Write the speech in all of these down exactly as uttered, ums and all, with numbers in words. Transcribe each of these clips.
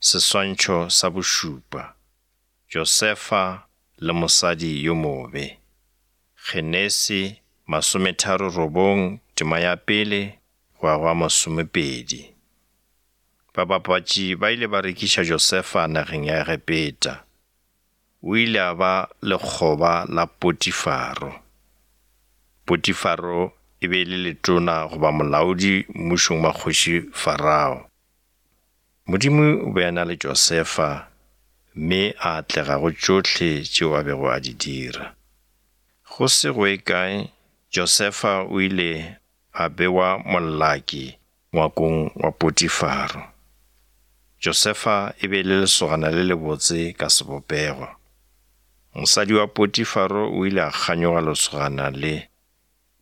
Seswantšho sa bošupa, Josefa le mosadi yo mobe. Genesi masometharo robong tema ya pele go ya go ya masomepedi. Babapatši ba ile ba rekiša Josefa nageng ya Egepeta. O ile a ba lekgoba la Potifaro. Potifaro e be e le letona goba molaodi mmušong wa kgoši Farao. Modimo o be a na le Josefa mme a atlega go tšohle tšeo a bego a di dira. Go se go ye kae Josefa o ile a bewa molaki ngwakong wa Potifaro. Josefa e be e le lesogana le lebotse ka sebopego. Mosadi wa Potifaro o ile a kganyoga lesogana le.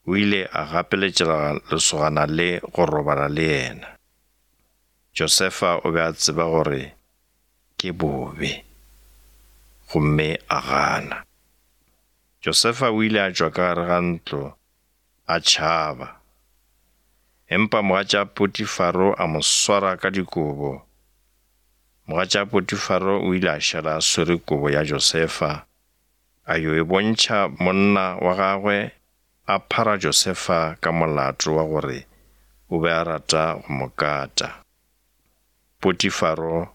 O ile a gapeletša lesogana le go robala le yena. Josefa o be a tseba gore ke bobe, gomme a gana. Josefa o ile a tšwa ka gare ga ntlo a tšhaba. Empa mogatša Potifaro a mo swara ka dikobo. Mogatša Potifaro o ile a šala a swere kobo ya Josefa, a yo e bontšha monna wa gagwe a phara Josefa ka molato wa gore o be a rata go mo kata. Potifaro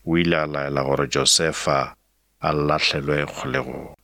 o ile a laela gore Josefa a lahlelwe kgolegong.